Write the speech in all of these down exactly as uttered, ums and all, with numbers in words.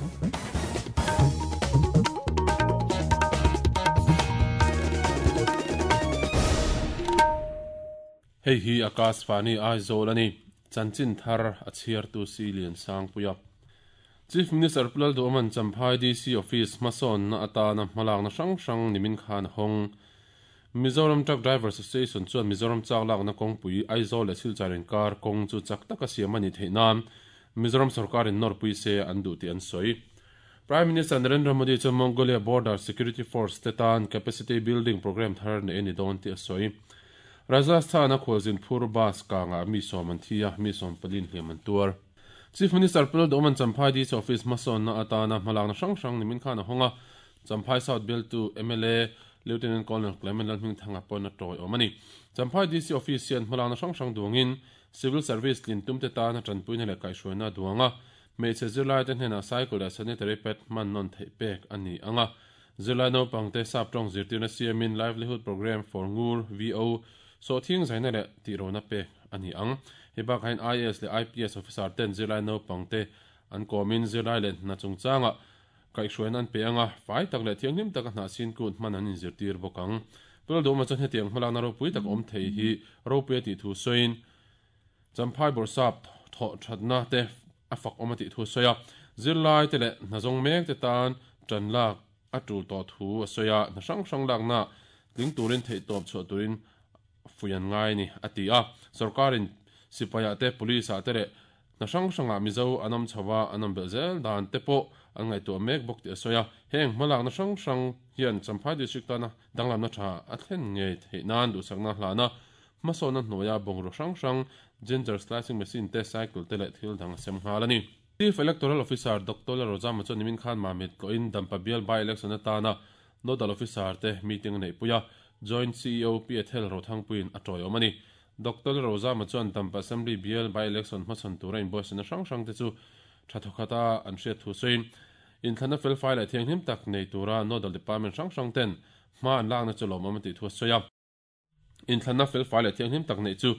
Hei hi Akashvani Aizawl ani chanchin thar a chhiar tu si lian sang puia Chief Minister Pulal Duman Champhai D C Office mason na atana hmalak na hrang hrang nimin khan hong Mizoram Truck Drivers Association chuan Mizoram chak lak na kawngpui Aizawl leh Silchar inkar kawng chu chak taka siam ani theih nan Mizoram sarkarin nawrpui se an duh tih an sawi. Prime Minister Narendra Modi chuan Mongolia Border Security Force te tan capacity building program thar nei ani dawn tih a sawi. Rajasthan a khualzin phur bus kanga mi sawm an thi a mi sawm palin hliam an tuar. Chief Minister Pulal Duman Champhai D C Office mason na atana hmalak na hrang hrang nimin khan a honga Champhai South Bill tu M L A Lieutenant Colonel Clement Lalhming Thanga pawh na tawi awm ani. Champhai D C Office hian hmalak na hrang hrang duangin Civil Service lin tum te tana tanpuina leh kaihhruaina duanga hmeichhe zirlai te hnenah cycle leh sanitary pad hman nawn theih pek ani anga zirlai naupang te sap tawng zirtirna siamin livelihood program for Ngur V O so thing zaina leh tih rona pek ani ang. Hei bakah hian I A S leh I P S officer ten zirlai naupang te an kawmin zirlai leh hna chungchanga kaihhruaina an pe anga fai tak leh thianghlim taka hnah sin kut hman an inzirtir bawk ang. Pulal Duhawma chuan hetiang hmalakna ropui tak awm thei hi ropui a tih thu sawiin Champhai bawrhsap thawh thatna te a fak awm a tih thu sawi a zirlai te leh hna zawng mek te tan tan lak a tul tawh thu a sawi a hna hrang hrang lakna tling turin theih tawp chhuah turin fuian ngai ni a ti a sarkarin sipai te police a te leh hna hrang hranga Mizo an awm chhowa an awm belh zel dan te pawh an ngaihtuah mek bawk tih a sawi a heng hmalakna hrang hrang hian Champhai district tana danglamna tha a thlen ngei theih nan duhsakna hlana hmasawnna hnuaia bungraw hrang hrang ginger slicing machine te cycle te leh thil dang a sem nghal ani. Chief Electoral Officer Doctor Lalrozama chuan nimin khan Mamit tawhin Dampa Bial by election atana Nodal Officer te meeting nei puia Joint C E O P Ethel Rothangpuiin a tawi awm ani. Doctor Lalrozama chuan Dampa Assembly Bial by election hmasawn tura inbuatsaihna hrang hrang te chu tha thawkhata an hriat thu sawiin inthlana fel fai leh thianghlim tak nei tura Nodal Department hrang hrang ten hma an lakna chu lawm awm a tih thu a sawi a. Inthlana fel fai leh thianghlim tak nei chu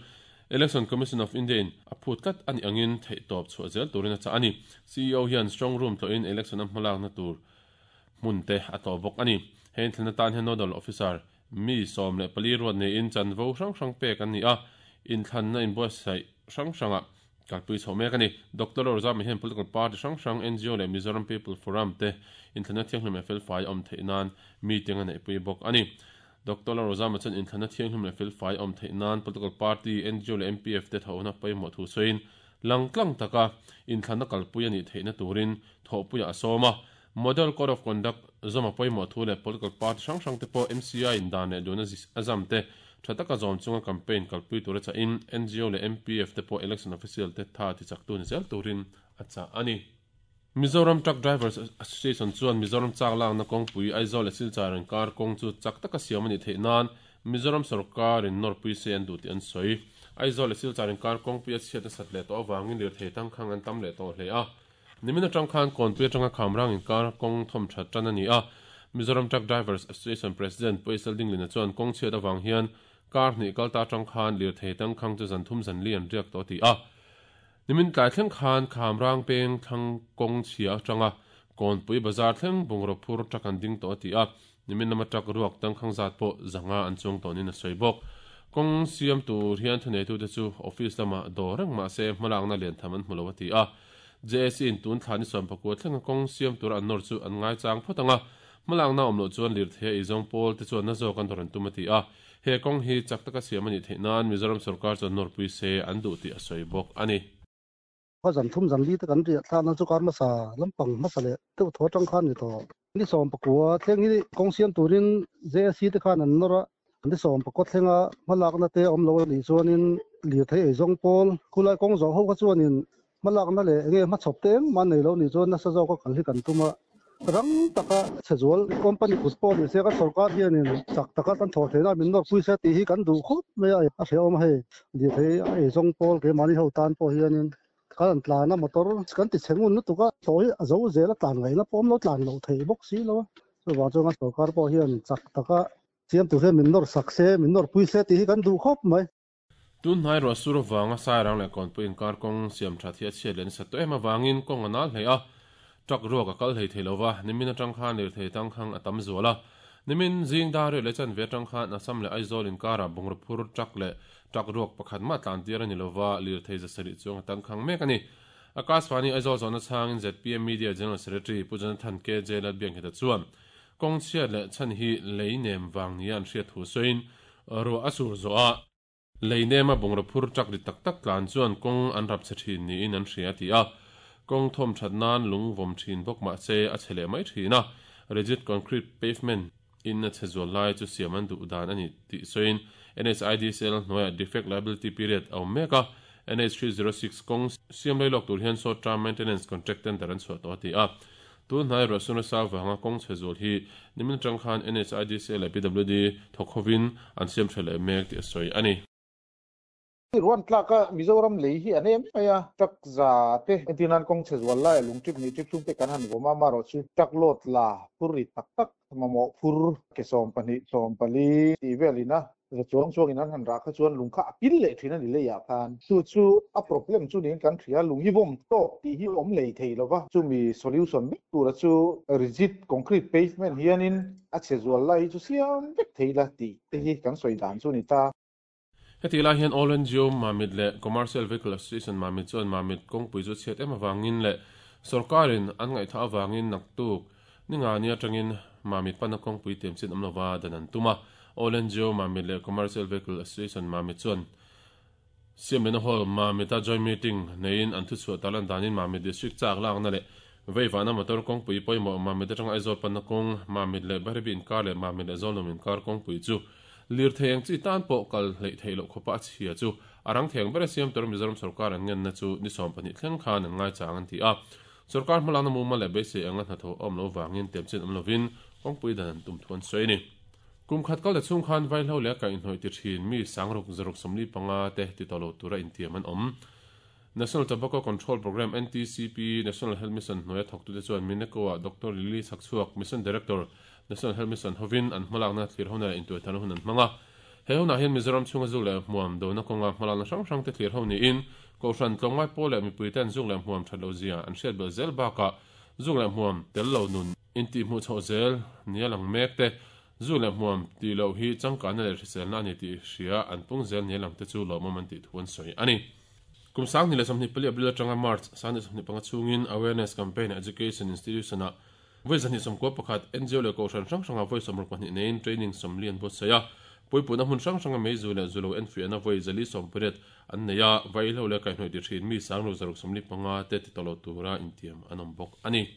Election Commission of India in a phut tlat ani angin theih tawp chhuah zel turin a chah ani. C E O hian strong room tawhin election a hmalakna tur hmun te a tawh bawk ani. Hei inthlana tan hian Nodal Officer mi sawm leh pali ruat neiin chanvo hrang hrang pek an ni a inthlanna inbuatsaih hrang hranga kalpui chho mek ani. Doctor Lalrozama hian political party hrang hrang N G O leh Mizoram People Forum te inthlana thianghlim leh fel fai awm theih nan meeting a neihpui bawk ani. Doctor Lalrozama chuan inthlana thianghlim leh fel fai awm theih nan political party N G O leh M P F te thawhna pawimawh thu sawiin langtlang taka inthlana kalpui ani theihna turin thawhpuia a sawm a. Model Code of Conduct zama pawimawh thu leh political party hrang hrang te pawh M C I in dan leh duna a zam te tha taka zawm chunga campaign kalpui tura chah in N G O leh M P F te pawh election official te tha ti chak tu ni zel turin a chah ani. Mizoram Truck Drivers Association chuan Mizoram chak lakna kawngpui Aizawl leh Silchar inkar kawng chu chak taka siam ani theih nan Mizoram sarkarin nawrpui se an duh tih an sawi. Aizawl leh Silchar inkar kawngpui a chhiat a sat leh tawh awangin lirthei tangkhang an tam leh tawh hle a. Nimin atang khan kawnpui atanga khamrang inkar kawng thawm that tan ani a. Mizoram Truck Drivers Association President Paisal Dinglina chuan kawng chhiat awang hian kar hnih kalta atang khan lirthei tangkhang chu zan thum zan li an riak tawh ti a. Nimin tlai thleng khan khamrang peng thlang kawng chhia atanga kawnpui bazar thleng bungraw phur truck an ding tawh ti a. Nimin lama truck ruak tangkhang zat pawh zanga an chuang tawh nin a sawi bawk. Kawng siam tur hian thunei tu te chu office lama dawr reng mahse hmalakna lian tham an hmu lo a ti a. J S C in tun thla ni sawm pakua thlenga kawng siam tur an nawr chu an ngai chang phawt anga hmalakna awm loh chuan lirthei a izawng pawl te chuan na zawk an dawr an tum a ti a. He kawng hi chak taka siam ani theih nan Mizoram sarkar chuan nawrpui se an duh tih a sawi bawk ani. Kha zan thum zan li te kan riah thla na chu kar hmasa lampang hmasa leh deuh thaw atang khan ni tawh. Ni sawm pakua thleng hi kawng siam turin J S C te khan an nawr a. Ni sawm pakua thlenga hmalakna te awm lo ani chuanin lirthei ei zawng pawl khulai kawng zawh ho kha chuanin hmalakna leh enge hmachhawp te engmah an nei lo ni chuan nasa zawk a kal hi kan tum a. Rang taka chhezual company kut pawh ni se kan sarkar hianin chak taka kan thawh theihna min nawrpui se tih hi kan duh khawp mai a. A hrehawm hei lirthei ei zawng pawl keimahni ho tan pawh hianin kan an tlan a motor kan ti chhengun lutuk a tawh hi a zo zel a tlan ngaihna pawh awm lo tlan lo thei bawk si lo a. Chuvang chuan kan sarkar pawh hian chak taka siam tur hian min nawr sak se min nawrpui se tih hi kan duh khawp mai. Tun hnai ruah sur awanga sairang leh kawnpui inkar kawng siam that hi a chhiat leh nasa tawh em awangin kawng a nal hle a. Truck ruak a kal hlei thei lova, nimin atang khan lirthei tangkhang a tam zual a. Nimin zing dar riat leh chanve atang khan Assam leh Aizawl inkarah bungraw phur truck leh truck ruak pakhat mah tlan tir a ni lova, lirthei za sarih chuang a tangkhang mek a ni. Akashvani Aizawl zawhna chhangin Z P M Media General Secretary Pu Jonathan K J Lalbiangkheta chuan kawng chhiat leh chhan hi lei nem vang nia an hriat thu sawiin ruah a sur zawh a, lei nema bungraw phur truck ri tak tak tlan chuan kawng an rap chhe thin niin an hria a ti a. Kawng thawm that nan lung vawm thin bawk mah se a chhe leh mai thin a, rigid concrete pavement in a chhe zual lai chu siam an duh dan a ni tih sawiin N H I D C L hnuaiah defect liability period a awm mek a, N H three zero six kawng siam lei lawk tur hian short term maintenance contract tender an chhuah tawh a ti a. Tun hnai ruah sun rasa vanga kawng chhe zual hi nimin atang khan N H I D C L leh P W D thawk hovin an siam tha leh mek tih a sawi a ni. Ruan tlaka Mizoram lei hi an em mai a, truck za te entirnan kawng chhe zual lai lung trip ni trip thum te kan han vawm a, marawh chu truck load la phur ri tak tak mamawh phur ke sawm pahnih sawm pali tih velin a za chuang chuangin an han rah kha chuan lung kha a pil leh thin a ni leiah khan. Chu chu a problem chu niin kan hria, lung hi vawm tawk tih hi awm lei thei lova, chumi solution vek tura chu rigid concrete pavement hianin a chhe zual lai hi chu siam vek thei la tih te hi kan sawi dan chu ni ta. Heti lai hian All N G O Mamit leh Commercial Vehicle Association Mamit chuan Mamit kawngpui chu chhiat em awangin leh sarkarin an ngaihtha awangin naktuk ninga ni atangin Mamit pana kawngpui tem chin awm lova dan an tum a. All N G O Mamit leh Commercial Vehicle Association Mamit chuan Siamlena Hall Mamita joint meeting neiin an thu chhuah talan danin Mamit District chak lakna leh veivana motor kawngpui pawimawh Mamit atanga Aizawl panna kawng Mamit leh Bairabi inkar leh Mamit leh Zawlnawm inkar kawngpui chu lirthei ang chi tan pawh kal hleih theih loh khawpa a chhia chu a rang theng ber a siam tur Mizoram sarkar an ngenna chu ni sawm pahnih thleng khan an ngai chang an ti a. Sarkar hmalakna mumal leh beisei anga hnathawh awm lo wangin tem chin awm lovin kawngpui dan an tum thu an sawi ni. Kum khat kal te chung khan vaihlo leh kaihhnawih ti thin mi sangruk zaruk sawmli panga te ti tawh lo tura intiam an awm. National Tobacco Control Program N T C P National Health Mission hnuaia thawk tute chuan Mineko-a Doctor Lily Chhakchhuak Mission Director National Health Mission hovin an hmalakna thlir hona leh intuaithana hun an hmang a. He hunah hian Mizoram chhunga zuk leh hmuam dona kawnga hmalakna hrang hrang te thlir ho niin Kohhran tlawmngai pawl leh mipui ten zuk leh hmuam that lo zia an hriat bel zel bakah zuk leh hmuam tel lo nun inti hmuh chhoh zel nia lang mek te zuk leh hmuam ti lo hi changkanna leh hriselna ani tih hria an pung zel nia lang te chu lawmawm an tih thu an sawi a ni. Kum sang ni leh sawmhnih pali April atanga March sang ni sawmhnih panga chungin Awareness Campaign Education Institution a voi zahnih sawmkua pakhat N G O leh Kohhran hrang hranga voi sawmruk pahnih neiin training sawmli an buatsaih a. Puipuna hmun hrang hranga meizu leh zulo enfiahna voi zali sawm pariat an nei a, vaihlo leh kaihhnawih ti thin mi sang ru zaruk sawmli panga te ti tawh lo tura intiam an awm bawk a ni.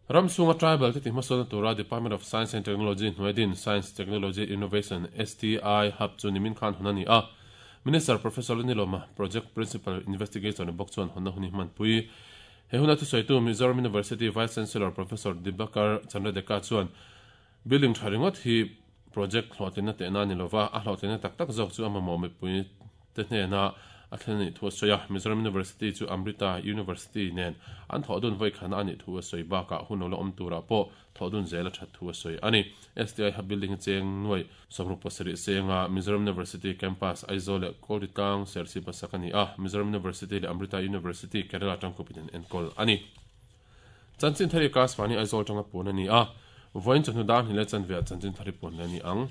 Ramchhunga tribal te ti hmasawna tura Department of Science and Technology hnuaidin Science Technology Innovation S T I Hub chu nimin khan hun a ni a. Minister Professor Lalnilawma Project Principal Investigator ni bawk chuan honna huni hmanpui. He huna thu sawitu Mizoram University Vice Chancellor Professor Dibakar Chandradeka chuan building tha ringawt hi project hlawhtlina tehna ni lova, a hlawhtlina tak tak zawk chu a mamawh mipui te hnena a thlen ani thu a sawi a. Mizoram University chu Amrita University nen an thawh dun voi khana ani thu a sawi bakah hun lo la awm turah pawh thawh dun zel a that thu a sawi a ni. S T I Hub building cheng nuai sawmruk pasarih senga Mizoram University Campus Aizawl leh Kawlritlang Serchhip sak ani a. Mizoram University leh Amrita University Kerala tangkupin an enkawl a ni. Chanchin thari Akashvani Aizawl tanga pun ani a. Voin chawhnu dar hnih leh chanve ah chanchin thari pun le ani ang.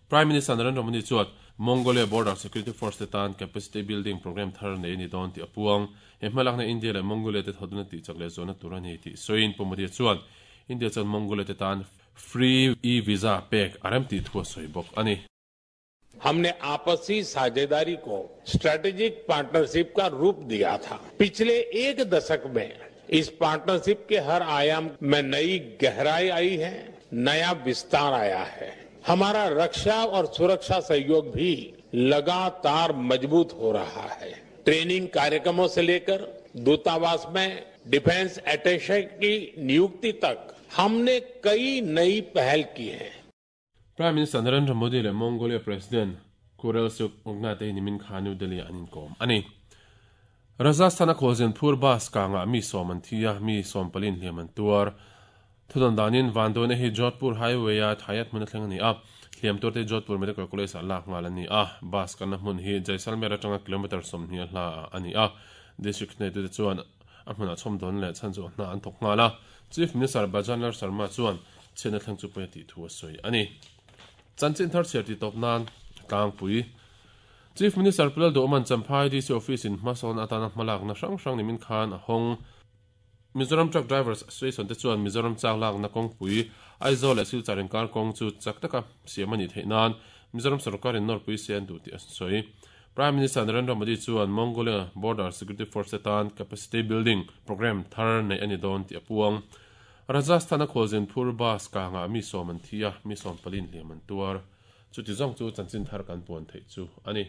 Prime Minister Narendra Modi chuan Mongolia Border Security Force te tan capacity building program thar nei ni dawn tih a puang. He hmalakna India leh Mongolia te thawduna tih chak leh zawhna tur a ni tih sawiin Pu Modi chuan India chuan Mongolia te tan free e-visa pek a rem tih thu a sawi bawk a ni. हमने आपसी साझेदारी को strategic partnership का रूप दिया था। पिछले एक दशक में इस पार्टनरशिप के हर आयाम में नई गहराई आई है, नया विस्तार आया है। हमारा रक्षा और सुरक्षा सहयोग भी लगातार मजबूत हो रहा है। ट्रेनिंग कार्यक्रमों से लेकर दूतावास में डिफेंस अटैचे की नियुक्ति तक हमने कई नई पहल की है। Prime Minister Narendra Modi leh Mongolia President Khurelsukh Ukhnaa nimin khan New Delhi an inkawm a ni. Rajasthan a Khawlzenpur bus kanga mi sawm an thi a, mi sawm palin hliam an tuar. Thudan danin Vandone hi Jodhpur Highway a Thayat hmun a thleng a ni a. Hliam tur te Jodhpur Medical College ah lak ngal a ni a. Bus kanna hmun hi Jaisalmer atanga kilometer sawmhnih a hla a ni a. District nei te chuan A hmunah chhawm dawn leh chhan chu hna an thawk nghal a. Chief Minister Bhajan Lal Sharma chuan chhiatna thleng chu pawi a tih thu a sawi a ni. Chanchin thar chhiar tih tawp nan tlangpui. Chief Minister Pu Lalduhoma'n Champhai D C Office in hmasawn atana hmalakna hrang hrang nimin khan a hawng. Mizoram Truck Drivers Association te chuan Mizoram chak lakna kawngpui Aizawl leh Silchar inkar kawng chu chak taka siam a nih theih nan Mizoram sorkarin nawrpui se an duh tih a sawi. Prime Minister Narendra Modi chuan Mongolia Border Security Force te tan capacity building programme thar neih a ni dawn tih a puang. Rajasthan-a khualzin phur bus kangah mi sawm an thi a, mi sawm palin hliam an tuar. Chuti zawng chu chanchin thar kan puan theih chu a ni.